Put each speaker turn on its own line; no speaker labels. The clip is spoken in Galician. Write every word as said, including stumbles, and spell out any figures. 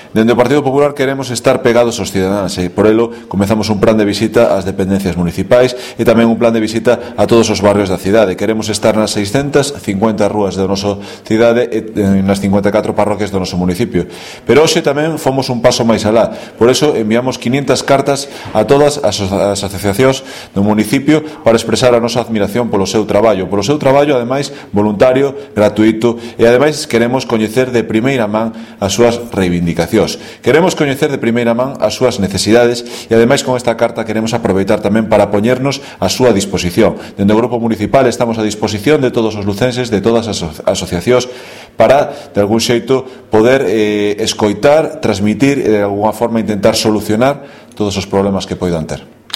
Dende o Partido Popular queremos estar pegados aos cidadáns e por elo comezamos un plan de visita ás dependencias municipais e tamén un plan de visita a todos os barrios da cidade. Queremos estar nas seiscentas cincuenta rúas da nosa cidade e nas cincuenta e catro parroquias do noso municipio. Pero hoxe tamén fomos un paso máis alá. Por eso enviamos quinientas cartas a todas as asociacións do municipio para expresar a nosa admiración polo seu traballo, polo seu traballo ademais voluntario, gratuito e ademais queremos coñecer de primeira man as súas reivindicacións. Queremos coñecer de primeira man as súas necesidades e ademais con esta carta queremos aproveitar tamén para poñernos a súa disposición. Dende o Grupo Municipal estamos a disposición de todos os lucenses, de todas as asociacións para, de algún xeito, poder eh, escoitar, transmitir e de alguna forma intentar solucionar todos os problemas que poidan ter.